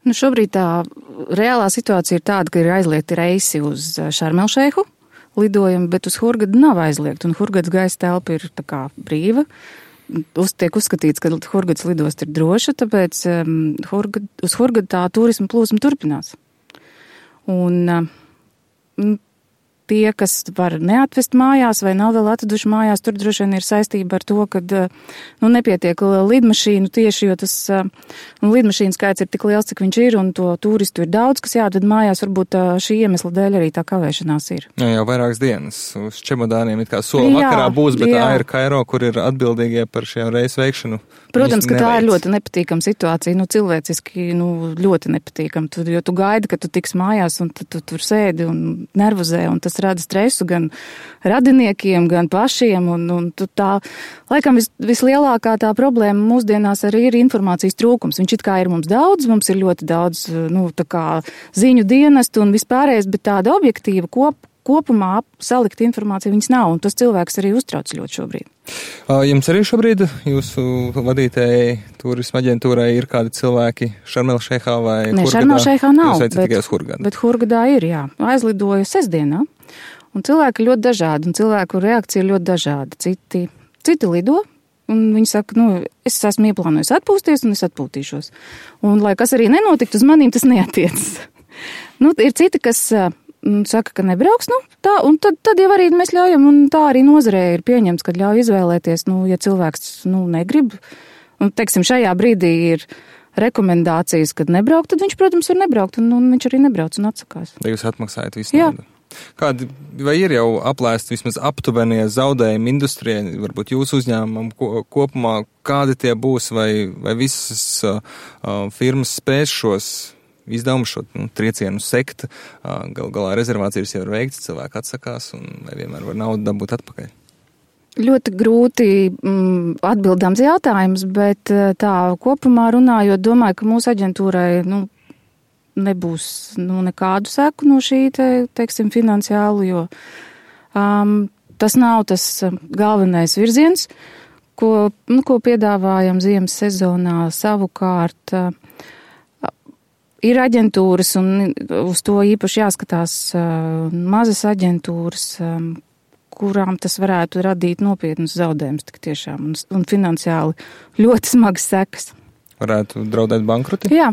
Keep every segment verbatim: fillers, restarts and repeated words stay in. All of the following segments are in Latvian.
Nu, šobrīd tā reālā situācija ir tāda, ka ir aizliegti reisi uz Šarmelšeihu lidojumi, bet uz Hurgadu nav aizliegti, un Hurgadas gaisa telpa ir tā kā brīva. Uz, tiek uzskatīts, ka Hurgadas lidosta ir droša, tāpēc um, Hurgad, uz Hurgadu tā turisma plūsma turpinās. Un um, tie, kas var neatvest mājās vai nav vēl atveduši mājās, tur droši vien ir saistība ar to, ka nu, nepietiek lidmašīnu tieši, jo tas nu, lidmašīnu skaits ir tik liels, cik viņš ir, un to turistu ir daudz, kas jāatved mājās, varbūt šī iemesla dēļ arī tā kavēšanās ir. Jā, jau vairākas dienas uz čemodāniem it kā sola vakarā būs, bet jā. Air Cairo, kur ir atbildīgie par šiem reisu veikšanu. Protams, ka tā ir ļoti nepatīkama situācija, nu cilvēciski nu, ļoti nepatīkama, tu, jo tu gaidi, ka tu tiks mājās un tu, tu tur sēdi un nervozē, un tas rada stresu gan radiniekiem, gan pašiem, un, un tu tā, laikam vis, vislielākā tā problēma mūsdienās arī ir informācijas trūkums. Viņš it kā ir mums daudz, mums ir ļoti daudz, nu, tā kā ziņu dienestu un vispārējais, bet tāda objektīva kop, kopumā salikt informāciju viņas nav, un tas cilvēks arī uztrauc ļoti šobrīd. Jums arī šobrīd jūsu vadītēji turisma aģentūrai ir kādi cilvēki Šarmelšeihā vai Hurgadā? Nē, Šarmelšeihā nav, bet, bet Hurgadā ir, jā. Aizlidoju sestdienā, un cilvēki ļoti dažādi, un cilvēku reakcija ir ļoti dažāda. Citi, citi lido, un viņi saka, nu, es esmu ieplānojis atpūsties, un es atpūtīšos. Un, lai kas arī nenotiktu, uz manīm tas neatiecas. Nu, ir citi, kas saka, ka nebrauks, nu, tā, un tad, tad jau arī mēs ļaujam, un tā arī nozarē ir pieņemts, kad ļauj izvēlēties, nu, ja cilvēks, nu, negrib, un, teiksim, šajā brīdī ir rekomendācijas, kad nebraukt, tad viņš, protams, var nebraukt, un, un viņš arī nebrauc un atsakās. Vai jūs atmaksājat visu naudu? Kādi, vai ir jau aplēsti vismaz aptuvenie zaudējumi industrijai, varbūt jūsu uzņēmumam kopumā, kādi tie būs, vai, vai visas uh, firmas spēs šos izdevumu šo nu, triecienu sekt, gal galā rezervācijas jau ir veikts, cilvēki atsakās un vai vienmēr var naudu dabūt atpakaļ? Ļoti grūti mm, atbildāms jautājums, bet tā kopumā runājot, domāju, ka mūsu aģentūrai nu, nebūs nu, nekādu seku no šī, te, teiksim, finansiālu, jo um, tas nav tas galvenais virziens, ko, nu, ko piedāvājam ziemas sezonā savukārt. Uh, Ir aģentūras, un uz to īpaši jāskatās uh, mazas aģentūras, um, kurām tas varētu radīt nopietnus zaudējumus tik tiešām, un, un finansiāli ļoti smagas sekas. Varētu draudēt bankruti? Jā.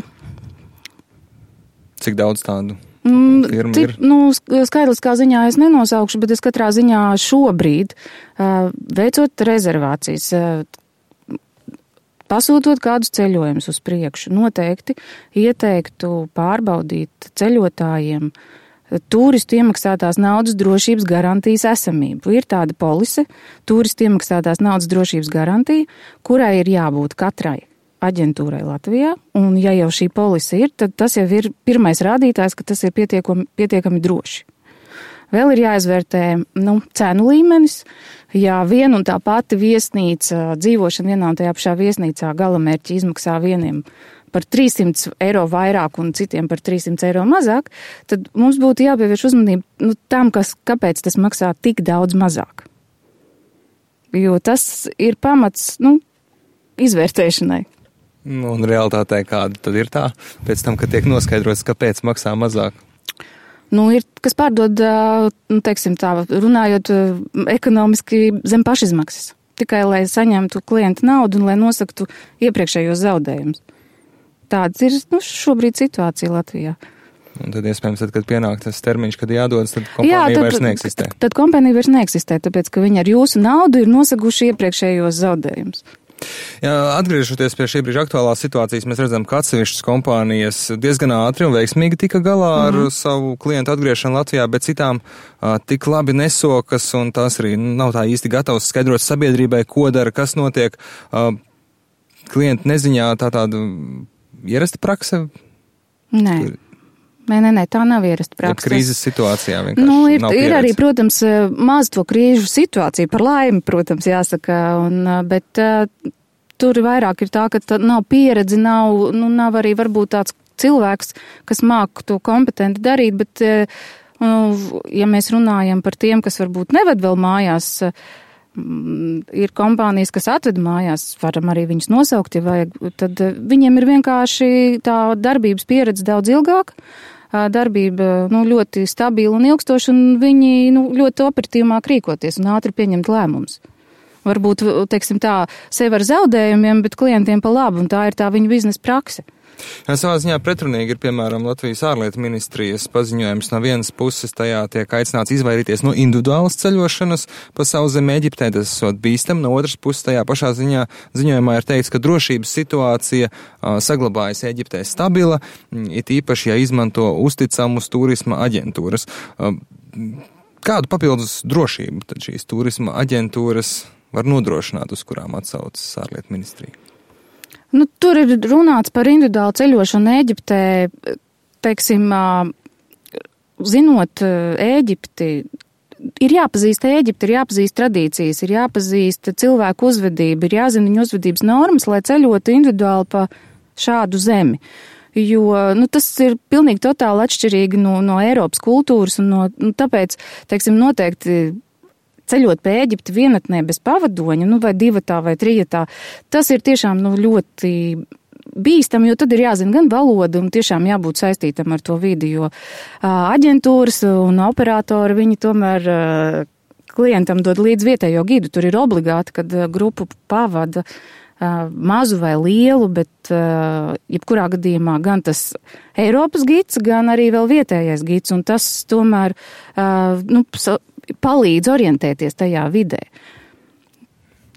Cik daudz tādu firmu mm, ir? Nu, skaitliskā ziņā es nenosaukšu, bet es katrā ziņā šobrīd, uh, veicot rezervācijas, uh, pasūtot kādus ceļojumus uz priekšu, noteikti ieteiktu pārbaudīt ceļotājiem turistu iemaksātās naudas drošības garantijas esamību. Ir tāda polise, turistu iemaksātās naudas drošības garantija, kurai ir jābūt katrai aģentūrai Latvijā, un ja jau šī polise ir, tad tas jau ir pirmais rādītājs, ka tas ir pietiekami, pietiekami droši. Vēl ir jāizvērtē nu, cenu līmenis, ja viena un tā pati viesnīca, dzīvošana vienā un tajā pašā viesnīcā galamērķi izmaksā vieniem par trīs simti eiro vairāk un citiem par trīs simti eiro mazāk, tad mums būtu jāpievērš uzmanība nu, tam, kas, kāpēc tas maksā tik daudz mazāk. Jo tas ir pamats nu, izvērtēšanai. Un realitātē kāda tad ir tā, pēc tam, kad tiek noskaidrots, kāpēc maksā mazāk? Nu, ir, kas pārdod, nu, teiksim tā, runājot ekonomiski zem pašizmaksas. Tikai, lai saņemtu klienta naudu un lai nosaktu iepriekšējos zaudējumus. Tāds ir, nu, šobrīd situācija Latvijā. Un tad, iespējams, tad, kad pienāk tas termiņš, kad jādodas, tad kompānija Jā, tad, vairs neeksistē. Tad, tad kompānija vairs neeksistē, tāpēc, ka viņi ar jūsu naudu ir nosaguši iepriekšējos zaudējumus. Jā, atgriežoties pie šī brīža aktuālās situācijas, mēs redzam, ka atsevišķas kompānijas diezgan ātri un veiksmīgi tika galā ar mm. savu klientu atgriešanu Latvijā, bet citām a, tik labi nesokas, un tās arī nav tā īsti gatavs skaidrot sabiedrībai, ko dara, kas notiek. A, klienti neziņā tā tāda ierasta prakse? Nē. Nē, nē, nē, tā nav ierasta praksa. Krīzes situācijā vienkārši nu, ir, nav pieredze. Ir arī, protams, maz to krīžu situāciju, par laimi, protams, jāsaka, un, bet uh, tur vairāk ir tā, ka tā nav pieredze, nav, nu, nav arī varbūt tāds cilvēks, kas māk to kompetenti darīt, bet, uh, ja mēs runājam par tiem, kas varbūt neved vēl mājās, uh, ir kompānijas, kas atved mājās, varam arī viņus nosaukt, ja vajag, tad viņiem ir vienkārši tā darbības pieredze daudz ilgāka, darbība nu, ļoti stabila un ilgstoša, un viņi nu, ļoti operatīvāk rīkoties un ātri pieņemt lēmumus. Varbūt, teiksim tā, sev ar zaudējumiem, bet klientiem pa labu, un tā ir tā viņu biznesa prakse. Jā, savā ziņā pretrunīgi ir, piemēram, Latvijas ārlietu ministrijas paziņojums. No vienas puses tajā tiek aicināts izvairīties no individuālas ceļošanas pa savu zemi Eģiptē, tas esot bīstam. No otras puses tajā pašā ziņā ziņojumā ir teikts, ka drošības situācija uh, saglabājas Eģiptē stabila, it īpaši, ja izmanto uzticamus turisma aģentūras. Uh, kādu papildus drošību tad šīs turisma aģentūras var nodrošināt, uz kurām atsaucas ārlietu ministrija? Nu, tur ir runāts par individuālu ceļošanu Ēģiptē, teiksim, zinot Ēģipti, ir jāpazīst Ēģipti, ir jāpazīst tradīcijas, ir jāpazīst cilvēku uzvedību, ir jāzina viņu uzvedības normas, lai ceļotu individuāli pa šādu zemi. Jo nu, tas ir pilnīgi totāli atšķirīgi no, no Eiropas kultūras, un no, nu, tāpēc, teiksim, noteikti ceļot pa Ēģipti vienatnē bez pavadoņa, nu vai divatā vai trijatā, tas ir tiešām nu, ļoti bīstam, jo tad ir jāzina gan valoda un tiešām jābūt saistītam ar to vidi, jo aģentūras un operatori, viņi tomēr klientam dod līdz vietējo gidu. Tur ir obligāti, kad grupu pavada mazu vai lielu, bet jebkurā gadījumā gan tas Eiropas gids, gan arī vēl vietējais gids, un tas tomēr, nu, palīdz orientēties tajā vidē.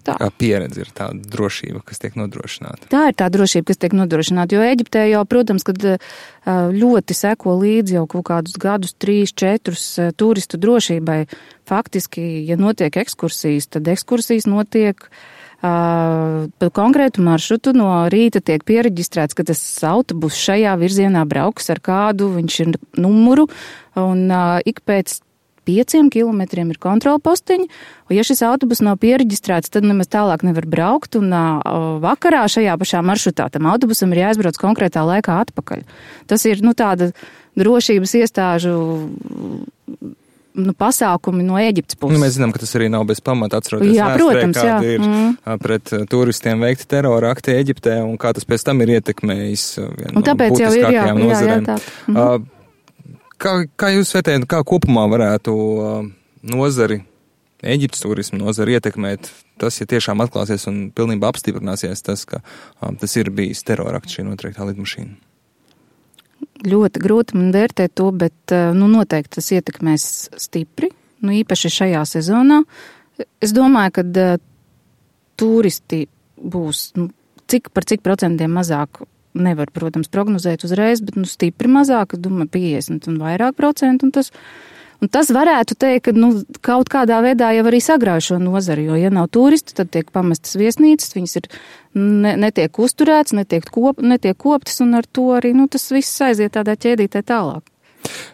Tā. Kā pieredze ir tāda drošība, kas tiek nodrošināta. Tā ir tā drošība, kas tiek nodrošināta, jo Eģiptē jau, protams, kad ļoti seko līdzi jau kaut kādus gadus, trīs, četrus turistu drošībai. Faktiski, ja notiek ekskursijas, tad ekskursijas notiek uh, pa konkrētu maršrutu. No rīta tiek piereģistrēts, ka tas autobus šajā virzienā brauks ar kādu, viņš ir numuru, un uh, ik pēc pieciem kilometriem ir kontrola postiņi, un ja šis autobus nav piereģistrēts, tad nemaz tālāk nevar braukt, un uh, vakarā šajā pašā maršrutā tam autobusam ir jāizbrauc konkrētā laikā atpakaļ. Tas ir, nu, tāda drošības iestāžu nu, pasākumi no Ēģiptes puses. Nu, mēs zinām, ka tas arī nav bez pamata, atceroties jā, vēsturē, protams, kāda jā. ir mm. pret turistiem veikti terora akti Ēģiptē, un kā tas pēc tam ir ietekmējis vienu no būtiskākajām nozarēm. Mm. Kā, kā jūs vērtējat, kā kopumā varētu uh, nozari, Ēģiptes turismu nozari ietekmēt tas, ja tiešām atklāsies un pilnībā apstiprināsies tas, ka um, tas ir bijis terorakts šī noteiktā lidmašīna? Ļoti grūti man vērtēt to, bet uh, nu, noteikti tas ietekmēs stipri, nu, īpaši šajā sezonā. Es domāju, ka uh, turisti būs nu, cik, par cik procentiem mazāk. Nevar, protams, prognozēt uzreiz, bet nu, stipri mazāk, domāju, piecdesmit un vairāk procentu. Un tas, un tas varētu teikt, ka nu, kaut kādā veidā jau arī sagrauj šo nozari, jo, ja nav turisti, tad tiek pamestas viesnīcas, viņas ir, ne, netiek uzturēts, netiek, kop, netiek koptas, un ar to arī nu, tas viss aiziet tādā ķēdītē tālāk.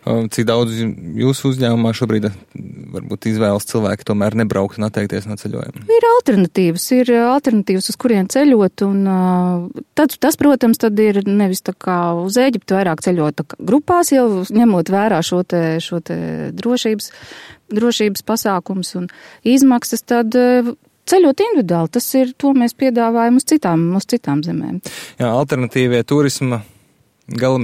Cik daudz jūsu uzņēmumā šobrīd varbūt izvēlas cilvēki tomēr nebraukt un atteikties no ceļojuma? Ir alternatīvas, ir alternatīvas, uz kurien ceļot, un tad, tas, protams, tad ir nevis tā kā uz Ēģiptu vairāk ceļot grupās, jau ņemot vērā šo te, šo te drošības, drošības pasākums un izmaksas, tad ceļot individuāli, tas ir, to mēs piedāvājam uz citām, uz citām zemēm. Jā, alternatīvie turisma galamērķi